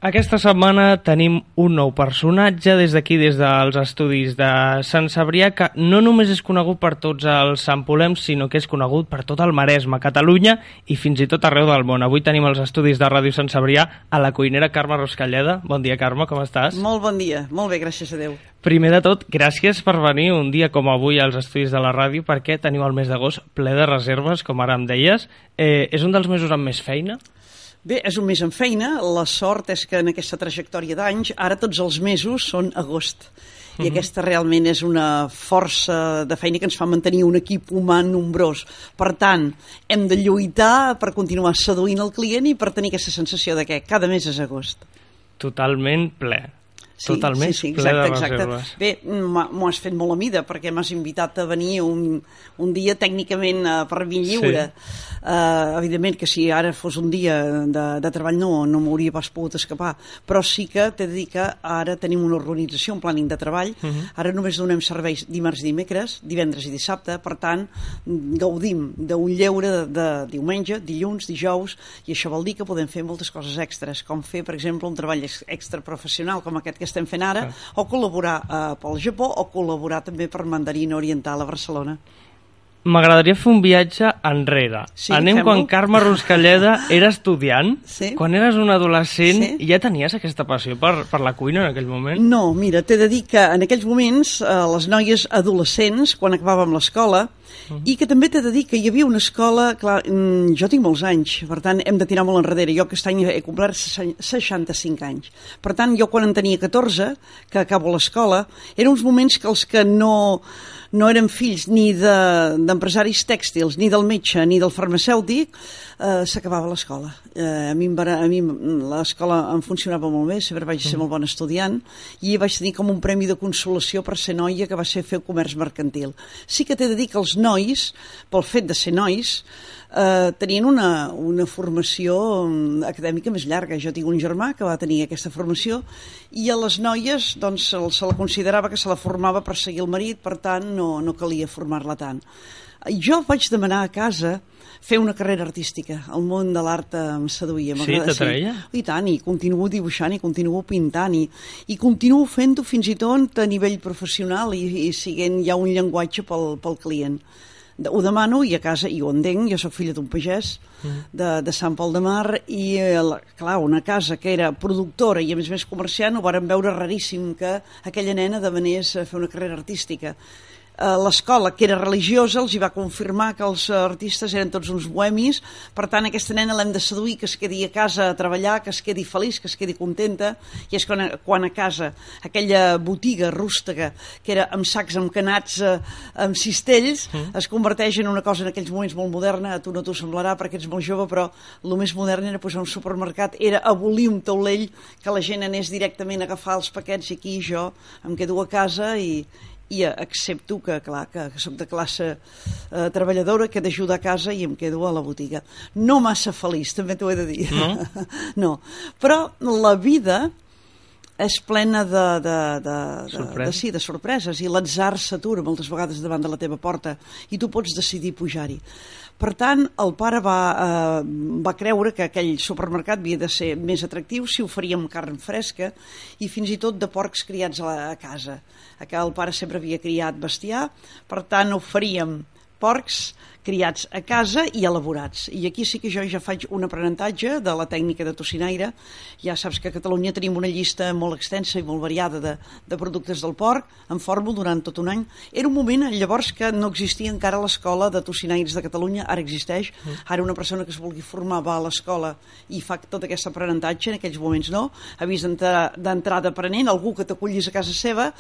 Aquesta setmana tenim un nou personatge des d'aquí, des dels estudis de Sant Cebrià, que no només és conegut per tots els sampolems, sinó que és conegut per tot el Maresme, Catalunya i fins i tot arreu del món. Avui tenim els estudis de Ràdio Sant Cebrià a la cuinera Carme Ruscalleda. Bon dia, Carme, com estàs? Molt bon dia, molt bé, gràcies a Déu. Primer de tot, gràcies per venir un dia com avui als estudis de la ràdio, perquè teniu el mes d'agost ple de reserves, com ara em deies. És un dels mesos amb més feina? Bé, és un mes en feina. La sort és que en aquesta trajectòria d'anys, ara tots els mesos són agost. I aquesta realment és una força de feina que ens fa mantenir un equip humà nombrós. Per tant, hem de lluitar per continuar seduint el client i per tenir aquesta sensació de que cada mes és agost. Totalment ple. Totalment sí, ple de exacte. reserves. Bé, m'ho has fet molt a mida perquè m'has invitat a venir un dia tècnicament per mi lliure. Sí. Evidentment que si ara fos un dia de treball no m'hauria pas pogut escapar, però sí que t'he de dir que ara tenim una organització, un planning de treball. Ara només donem serveis dimarts i dimecres, divendres i dissabte, per tant gaudim d'un lleure de diumenge, dilluns, dijous, i això vol dir que podem fer moltes coses extres, com fer, per exemple, un treball extra professional com aquest que estem fent ara, o col·laborar pel Japó, o col·laborar també per Mandarina Oriental a Barcelona. M'agradaria fer un viatge enrere. Sí, anem fem-lo. quan Carme Ruscalleda era estudiant. Sí. Quan eres un adolescent, Sí. ja tenies aquesta passió per la cuina en aquell moment? No, mira, t'he de dir que en aquells moments les noies adolescents, quan acabàvem l'escola, i que també t'he de dir que hi havia una escola, clar, jo tinc molts anys, per tant hem de tirar molt enrere, jo aquest any he complert 65 anys, per tant jo quan en tenia 14, que acabo l'escola, eren uns moments que els que no eren fills ni d'empresaris tèxtils, ni del metge, ni del farmacèutic, s'acabava l'escola. A mi l'escola em funcionava molt bé, sempre vaig ser molt bon estudiant, i vaig tenir com un premi de consolació per ser noia, que va ser fer comerç mercantil. Sí que t'he de dir que els nois, pel fet de ser nois, tenien una formació acadèmica més llarga. Jo tinc un germà que va tenir aquesta formació i a les noies doncs, se la considerava que se la formava per seguir el marit, per tant no calia formar-la tant. Jo vaig demanar a casa fer una carrera artística. El món de l'art em seduïa. Sí, t'atreia? I tant, i continuo dibuixant, i continuo pintant, i continuo fent-ho fins i tot a nivell professional i siguent ja un llenguatge pel client. Ho demano i a casa, i ho entenc, jo soc filla d'un pagès de Sant Pol de Mar i clar, una casa que era productora i a més comerciant, ho vàrem veure raríssim que aquella nena demanés fer una carrera artística. L'escola, que era religiosa, els hi va confirmar que els artistes eren tots uns bohemis, per tant aquesta nena l'hem de seduir, que es quedi a casa a treballar, que es quedi feliç, que es quedi contenta, i és quan a casa aquella botiga rústega que era amb sacs emcanats amb cistells es converteix en una cosa en aquells moments molt moderna. A tu no t'ho semblarà perquè ets molt jove, però el més modern era posar un supermercat, era abolir un taulell, que la gent anés directament a agafar els paquets, i aquí jo em quedo a casa i accepto que, clar, que soc de classe treballadora, que he d'ajudar a casa i em quedo a la botiga. No massa feliç, també t'ho he de dir. No? No. Però la vida és plena de sorpreses, i l'atzar s'atura moltes vegades davant de la teva porta i tu pots decidir pujar-hi. Per tant, el pare va creure que aquell supermercat havia de ser més atractiu si oferíem carn fresca i fins i tot de porcs criats a casa. El pare sempre havia criat bestiar, per tant oferíem porcs criats a casa i elaborats. I aquí sí que jo ja faig un aprenentatge de la tècnica de tocinaire. Ja saps que a Catalunya tenim una llista molt extensa i molt variada de productes del porc, en fórmula durant tot un any. Era un moment llavors que no existia encara l'escola de tocinaires de Catalunya, ara existeix. Ara una persona que es vulgui formar va a l'escola i fa tot aquest aprenentatge, en aquells moments no. Havies d'entrar d'aprenent, algú que t'acollis a casa seva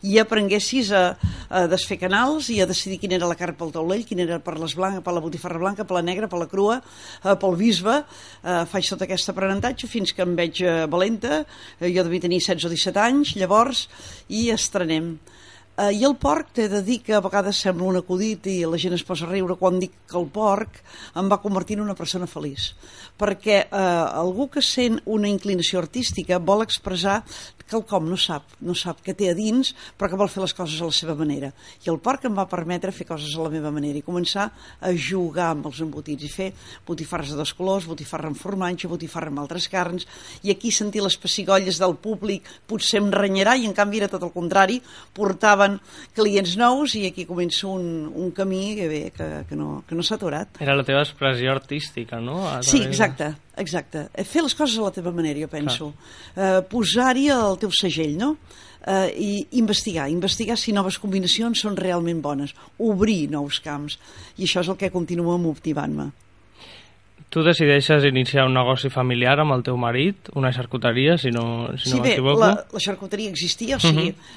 i aprenguessis a desfer canals i a decidir quina era la carn pel taulell, quina era per la botifarra blanca, per la negra, per la crua, pel bisbe. Faig tot aquest aprenentatge fins que em veig valenta. Jo devia tenir 16 o 17 anys llavors, i estrenem. I el porc, t'he de dir que a vegades sembla un acudit i la gent es posa a riure quan dic que el porc em va convertir en una persona feliç, perquè algú que sent una inclinació artística vol expressar quelcom, no sap què té a dins, però que vol fer les coses a la seva manera. I el porc em va permetre fer coses a la meva manera i començar a jugar amb els embotits i fer botifarres de 2 colors, botifarra amb formatge, botifarra amb altres carns, i aquí sentir les pessigolles del públic potser em renyarà, i en canvi era tot el contrari, portaven clients nous i aquí comença un camí que no s'ha aturat. Era la teva expressió artística, no? Sí, exacte. Fer les coses a la teva manera, jo penso. Posar-hi el teu segell, no? I investigar si noves combinacions són realment bones, obrir nous camps, i això és el que continua motivant-me. Tu decideixes iniciar un negoci familiar amb el teu marit, una xarcuteria, si no m'equivoco? Sí, bé, la xarcuteria existia,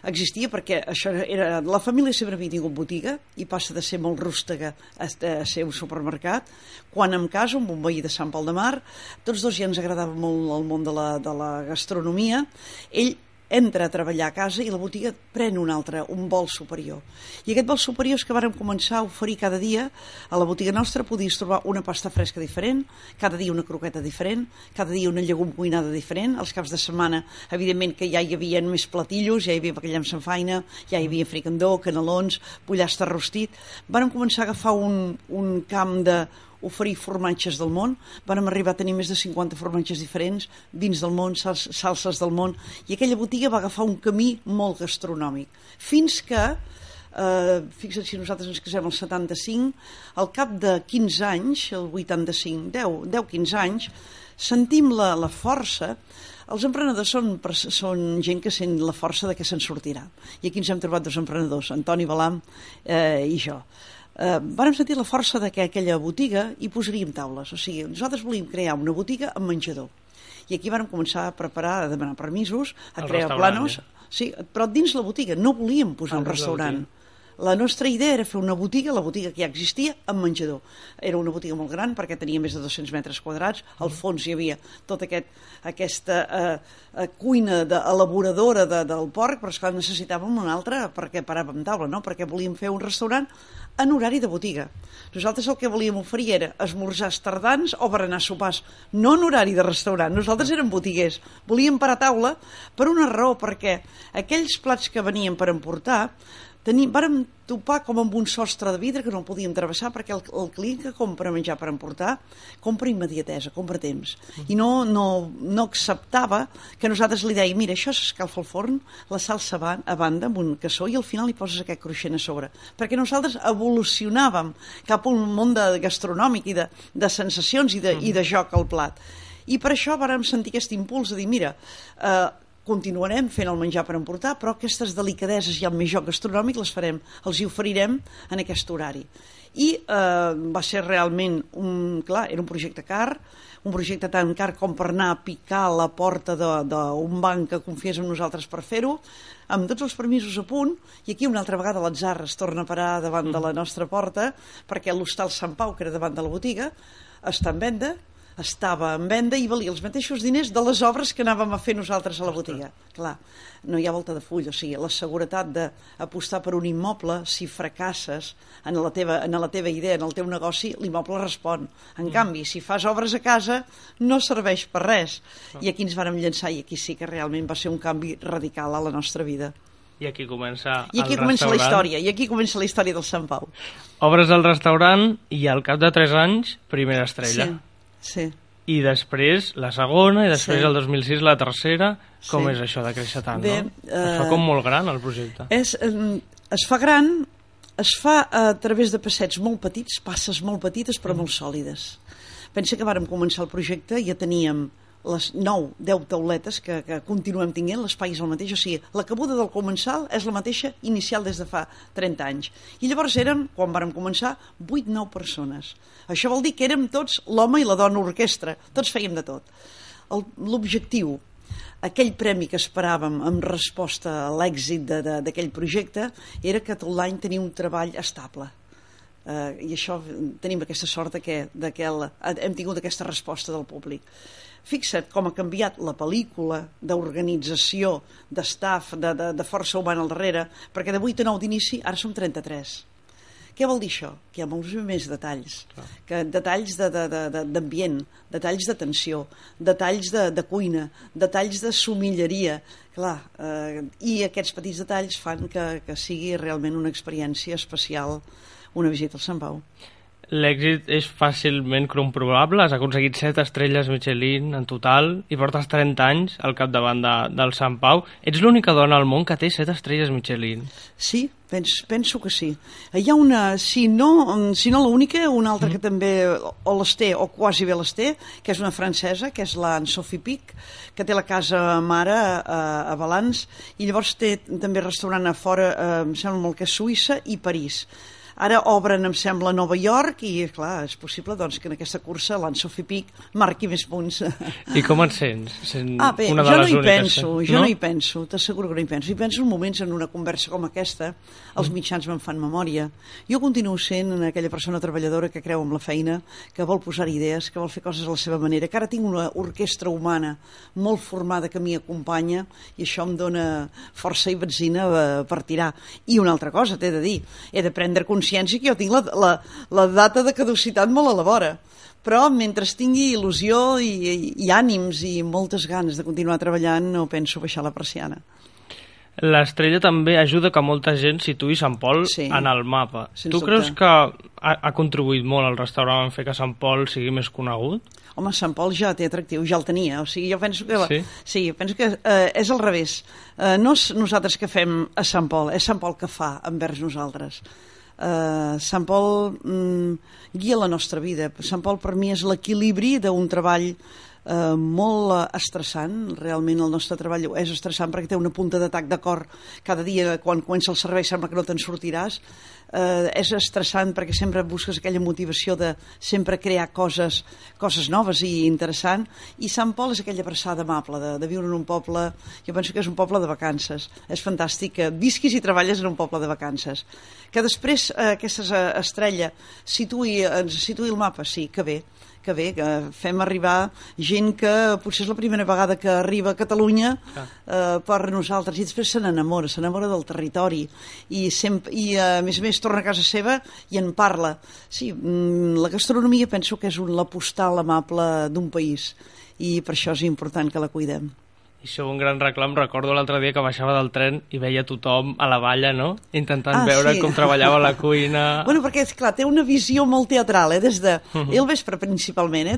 existia perquè això era... La família sempre havia tingut botiga i passa de ser molt rústega a ser un supermercat. Quan em caso amb un veí de Sant Pol de Mar, tots dos ja ens agradava molt el món de la gastronomia. Ell entra a treballar a casa i la botiga pren un vol superior. I aquest vol superior és que vàrem començar a oferir cada dia a la botiga nostra, podies trobar una pasta fresca diferent, cada dia una croqueta diferent, cada dia una llegum cuinada diferent, els caps de setmana, evidentment que ja hi havia més platillos, ja hi havia bacallà amb sanfaina, ja hi havia fricandó, canelons, pollastre rostit. Vàrem començar a agafar un camp de oferir formatges del món, vam arribar a tenir més de 50 formatges diferents, vins del món, salses del món, i aquella botiga va agafar un camí molt gastronòmic, fins que, fixa't si nosaltres ens casem al 75, al cap de 15 anys, el 85, 10-15 anys, sentim la força. Els emprenedors són gent que sent la força de que se'n sortirà, i aquí ens hem trobat 2 emprenedors, Antoni Balam i jo. Vàrem sentir la força de que aquella botiga hi posaríem taules, o sigui, nosaltres volíem crear una botiga amb menjador, i aquí vàrem començar a preparar, a demanar permisos, a crear planos, sí, però dins la botiga, no volíem posar un restaurant. La nostra idea era fer una botiga, la botiga que ja existia, amb menjador. Era una botiga molt gran perquè tenia més de 200 metres quadrats, al fons hi havia tota aquesta cuina elaboradora del porc, però esclar, necessitàvem una altra perquè paràvem taula, no? Perquè volíem fer un restaurant en horari de botiga. Nosaltres el que volíem oferir era esmorzars tardans o berenar sopars, no en horari de restaurant. Nosaltres érem botiguers, volíem parar taula per una raó, perquè aquells plats que venien per emportar vàrem topar com amb un sostre de vidre que no el podíem travessar, perquè el client que compra menjar per emportar compra immediatesa, compra temps, i no acceptava que nosaltres li dèiem, mira, això s'escalfa al forn, la salsa va a banda amb un cassó i al final hi poses aquest cruixent a sobre, perquè nosaltres evolucionàvem cap a un món gastronòmic i de sensacions i de joc al plat, i per això vàrem sentir aquest impuls de dir, mira, continuarem fent el menjar per emportar, però aquestes delicadeses i el més joc gastronòmic els hi oferirem en aquest horari. I va ser realment, era un projecte car, un projecte tan car com per anar a picar a la porta d'un banc que confiés en nosaltres per fer-ho, amb tots els permisos a punt, i aquí una altra vegada l'atzar es torna a parar davant de la nostra porta, perquè l'hostal Sant Pau, que era davant de la botiga, estava en venda i valia els mateixos diners de les obres que anàvem a fer nosaltres a la botiga. Clar, no hi ha volta de full, o sigui, la seguretat d'apostar per un immoble, si fracasses en la teva idea, en el teu negoci, l'immoble respon. En canvi, si fas obres a casa, no serveix per res. I aquí ens vàrem llançar, i aquí sí que realment va ser un canvi radical a la nostra vida. I aquí comença la història, i aquí comença la història del Sant Pau. Obres al restaurant i al cap de 3 anys, primera estrella. Sí. I després la segona, i després el 2006 la tercera. Com és això de créixer tant, no? Es fa com molt gran el projecte. Es fa gran, es fa a través de passets molt petits, passes molt petites però molt sòlides. Pensa que vàrem començar el projecte i ja teníem les 9-10 tauletes que continuem tinguent, l'espai és el mateix, o sigui, la cabuda del comensal és la mateixa inicial des de fa 30 anys. I llavors eren, quan vàrem començar, 8-9 persones. Això vol dir que érem tots l'home i la dona orquestra, tots fèiem de tot. L'objectiu, aquell premi que esperàvem en resposta a l'èxit d'aquell projecte, era que tot l'any tenia un treball estable. I això tenim aquesta sort que hem tingut aquesta resposta del públic. fixa't com ha canviat la pel·lícula d'organització, d'estaf, de força humana al darrere, perquè de 8 a 9 d'inici ara som 33. Què vol dir això? Que hi ha molts més detalls, detalls d'ambient, detalls d'atenció, detalls de cuina, detalls de somilleria, clar, i aquests petits detalls fan que sigui realment una experiència especial una visita al Sant Pau. L'èxit és fàcilment comprovable, has aconseguit 7 estrelles Michelin en total i portes 30 anys al capdavant del Sant Pau. Ets l'única dona al món que té 7 estrelles Michelin. Sí, penso que sí. Hi ha una, si no l'única, una altra que també o les té, o quasi bé les té, que és una francesa, que és la Sophie Pic, que té la casa mare a Valans, i llavors té també restaurant a fora, em sembla molt que és Suïssa i París. Ara obren, em sembla, a Nova York i, clar, és possible doncs, que en aquesta cursa l'Anne-Sophie Pic marqui més punts. I com et sents? Bé, jo no hi penso, t'asseguro que no hi penso. Hi penso en moments, en una conversa com aquesta, els mitjans me'n fan memòria. Jo continuo sent aquella persona treballadora que creu en la feina, que vol posar idees, que vol fer coses a la seva manera, que ara tinc una orquestra humana molt formada que m'hi acompanya i això em dona força i benzina per tirar. I una altra cosa, t'he de dir, he de prendre consciència que jo tinc la data de caducitat molt a la vora, però mentre tingui il·lusió i ànims i moltes ganes de continuar treballant no penso baixar la persiana. L'estrella també ajuda que molta gent situï Sant Pol en el mapa. Tu creus que ha contribuït molt al restaurant en fer que Sant Pol sigui més conegut? Home, Sant Pol ja té atractiu, ja el tenia. O sigui, jo penso que, penso que és al revés. No és nosaltres que fem a Sant Pol, és Sant Pol que fa envers nosaltres. Sant Pol guia la nostra vida. Sant Pol per mi és l'equilibri d'un treball molt estressant. Realment el nostre treball és estressant perquè té una punta d'atac de cor cada dia. Quan comença el servei sembla que no te'n sortiràs. És estressant perquè sempre busques aquella motivació de sempre crear coses noves i interessant, i Sant Pol és aquella abraçada amable de viure en un poble. Jo penso que és un poble de vacances. És fantàstic que visquis i treballes en un poble de vacances. Que després aquesta estrella ens situï el mapa, sí, que bé, que fem arribar gent que potser és la primera vegada que arriba a Catalunya per nosaltres, i després se n'enamora del territori i a més torna a casa seva i en parla. Sí, la gastronomia penso que és la postal amable d'un país i per això és important que la cuidem. I això un gran reclam. Recordo l'altre dia que baixava del tren i veia tothom a la valla, no? Intentant veure com treballava la cuina. Bueno, perquè, esclar, té una visió molt teatral, des de... I el vespre, principalment,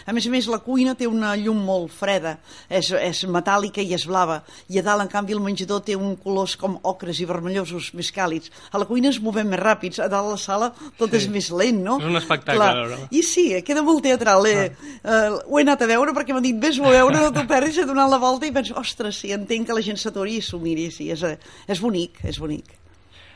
A més a més, la cuina té una llum molt freda, és metàl·lica i és blava, i a dalt, en canvi, el menjador té un colors com ocres i vermellosos més càlids. A la cuina ens movem més ràpids, a dalt a la sala tot és més lent, no? És un espectacle, no? I sí, queda molt teatral. Ho he anat a veure perquè m'han dit, vés-ho a veure, no t'ho perdis, he donat la volta i penso, ostres, sí, entenc que la gent s'aturi i s'ho miri, sí, és bonic, és bonic.